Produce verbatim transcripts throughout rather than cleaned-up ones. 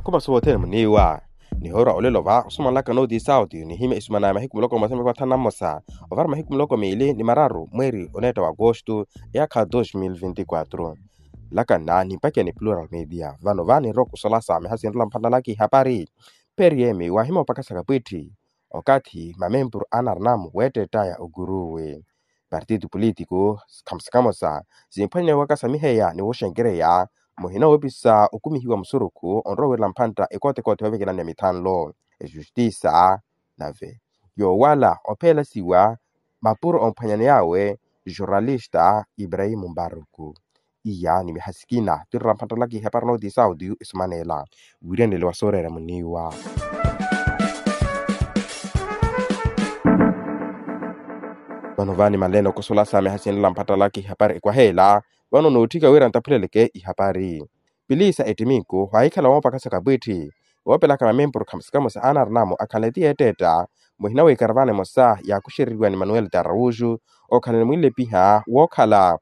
Opaso wothene muniiwa. Nihoorwa olelo va osumanlaka nooti sauti nihimya isumana ya mahiku muloko mmosa ni mahiku athanu na mmosa ovara mahiku muloko miili ni mararu mweeri oneetta wa agosto eyaakha dos mil vinti quatro. Nlakanna nimpakiya ni plural media vano va ninrowa okusolasa miha sinrola mphantalaka ihapari. Periyemi waahimya opakasaka pwiitti okathi mamempuru anarinamu weettettaya okuruwi. Partitu politiku sikhamusikhamusa simphwanyaneya wakasamiheya ni woxenkereya muhina woopisa okumihiwa musurukhu onrowa wirela mphantta ekootekoote yoovekelani ya mithanlo. Ejustisa nave yoowala opheelasiwa mapuro omphwanyaney'awe jornalista ibrahimu mbaruku. Iya ni miha sikina tinrola mphantalaka ihapari nooti sauti isumanela wiiranele wa sooreera muniiwa. Vano vaani manleene okosolasa miha sinrola mphantalaka ihapari ekwaheela. Vano nootthika wira ntaphuleleke ihapari. Pilisa ettiminku waahikhala woopakasaka pwiitti woopelaka mamempuru khamusikhamusa anarinamu akhanle ti yeetteetta muhina w'ikaravana emosa yaakuxereriwa ni manuel tarauxu okhala ni mwinlepiha wookhala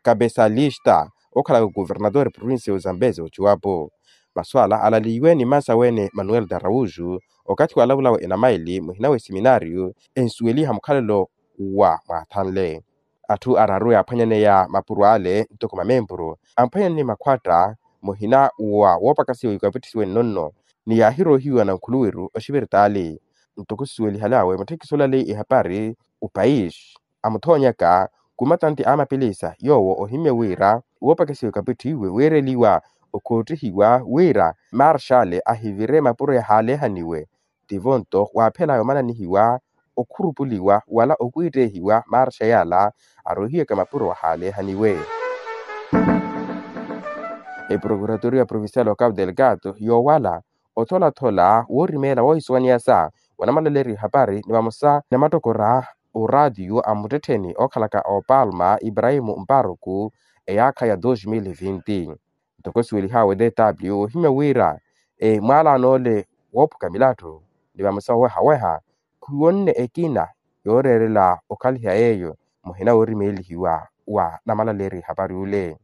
kapesalista okhalaka kuvernatori provincia ya ozambezi ochiwapo. Masu ala alaliiwe ni mmansa wene manuel tarauxu okathi waalavulawe enamaili muhina w'eseminario ensuweliha mukhalelo wa mwaathanle. Atthu araru yaaphwanyaneya mapuro ale ntoko mamempuru amphwanyane ni makhwatta muhina wa woopakasiwa ikapittisiwe nnonno ni yaahiroohiwa nankhuluwiru oxiviritaali. Ntoko sisuwelihal'awe mutthekiso olaleyi ehapari opais amuthoonyaka kumatanti a mapilisa yoowo ohimya wira woopakasiwa ikapittiwe weereliwa okhoottihiwa wira marshale ahivire mapuro yahaaleehaniwe. Tivo nto waaphelaya omananihiwa okhurupuliwa wala okwiittehiwa marxa yala aroohiwaka mapuro wahaaleehaniwe. Eprokuratoriya provincial wa cabo delgado yoowala otholathola woorimeela woohisuwaniyasa wanamalaleeriwa ihapari ni vamosa ni mattokora oraatiyo a muttettheni ookhalaka opalma ibrahimu mparuku eyaakha ya dos mil vinti. Ntoko suwelihaawe dw ohimya wira mwaalaano ole woophuka milatthu ni vamosa owehaweha khuwonne ekina yooreerela okhaliha yeeyo muhina woorimeelihiwa wa namalaleeriwa ihapari ole.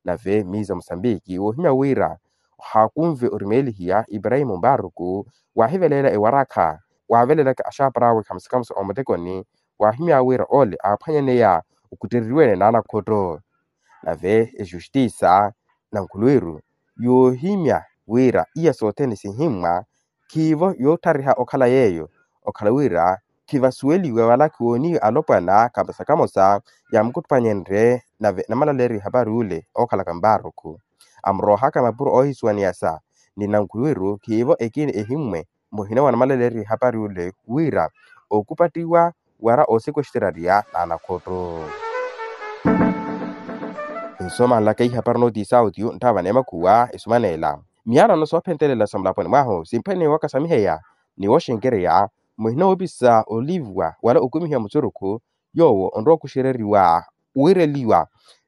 Nave miiza musambiki woohimya wira ohaakunve orimeelihiya ibrahimu mbaruku waahiveleela ewarakha waavelelaka axaapar'awe khamusikhamusa omutekoni waahimya wira ole aaphwanyaneya okuttereriwene n'anakhotto. Nave ejustisa nankhuluwiru yoohimya wira iya sothene sihimmwa khiivo yootthariha okhala yeeyo okhala wira khivasuweliwe wala khiwooniwe alopwana kamosa kamosa yaamukuttupanyerye nave namalaleeriwa ihapari ole ookhalaka mbarukhu amuroohaka mapuro oohisuwaniyasa ni nankhuluwiru khiivo ekina ehimmwe muhina wa namalaleeriwa ihapari ole wira ookupattiwa wara oosekwexterariya n'anakhotto. Nsomanlaka ihapari nooti sauti ntthaava n'emakhuwa esumaneela miyalano soophentelela sa mulaponi mwahu simphwene wakasamiheya ni wooxenkereya muhina woopisa oliiviwa wala okumihiwa musurukhu yoowo onrowa okuxereriwa wiireliwa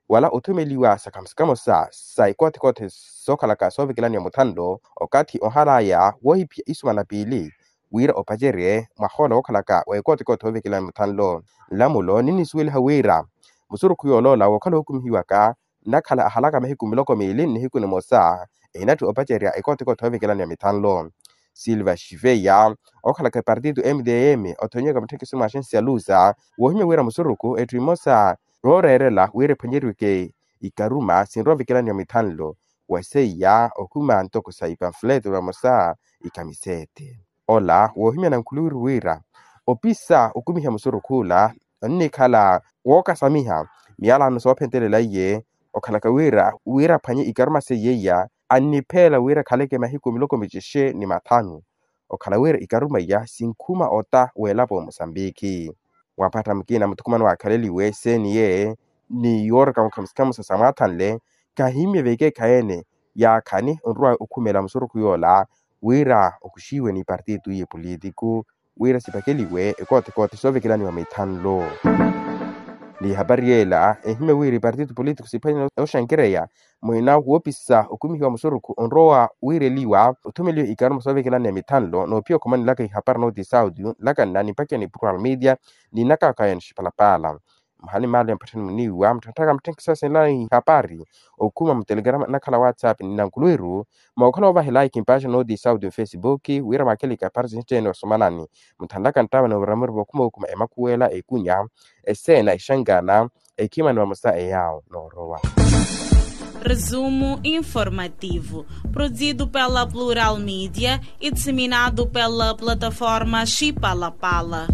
wala othumeliwa sa khamusi kamosa sa ikoothikoothi sookhalaka soovikelaniwa muthanlo okathi ohalaya woohiphiya isumana piili wira opacerye mwahoola wookhalaka wa ikoothikoothi oovikelaniwa muthanlo. Nlamulo ninnisuweliha wira musurukhu yooloola wookhala ookumihiwaka nnakhala ahalaka mahiku miloko miili nnihiku nimosa ehinatthi opacerya ikoothikoothi oovikelaniwa mithanlo. Silva xiveya ookhalaka epartito mdm othonyewaka mutthekiso mwa axensi ya lusa woohimya wira musurukhu etthu imosa yooreerela wira ephwanyeriweke ikaruma sinrowa ovikelaniwa mithanlo wa seiya okhuma ntoko sa ipamfuleto vamosa ikhamisete. Ola woohimya nankhuluwiru wira opisa okumiha musurukhu ola onnikhala wookasamiha miyalano soophentelela iye okhalaka wira wira aphwanye ikaruma seiya iya annipheela wira akhaleke mahiku miloko micexe ni mathanu okhala wira ikaruma iya sinkhuma ota weelapo musambiki. Waaphatta mukina muthukumano waakhaleliwe seniye ni yooraka mukhamusikhamusa sa mwaathanle kahimmye vekeekhayi-ene yaakhani onrowa okhumela musurukhu yoola wira okuxiwe ni ipartito iye politiku wira sipakeliwe ekoothikoothi soovekelaniwa mithanlo. Ni ihapari yeela ehimya wira ipartito politiku siphwanyana oxankereya muhina woopisa okumihiwa musurukhu onrowa wiireliwa othumeliwe ikaruma soovekelaniwa mithanlo noophiya okhomanelaka ihapari nooti sauti nlakanna nimpakiya ni plural media ni nnakaakaya nixipalapaala. Muhali maalo ya mpatthani muniiwa mutthantthaka mutthenkisasela ihapari okhuma mutelegrama nnakhala whatsapp ni nankuluwiru. Mookhala ovaha like mpaaxi nooti sauti mfesibuki wira mwaakele ikapari sinci tteene osomanani. Mutthantthaka nttawa ni oviramiru vokhuma okhuma emakhuwela ekunya eseena exankana ekhima ni vamosa eyaawo noorowa. Resumo informativo, produzido pela plural media e disseminado pela plataforma xipalapala.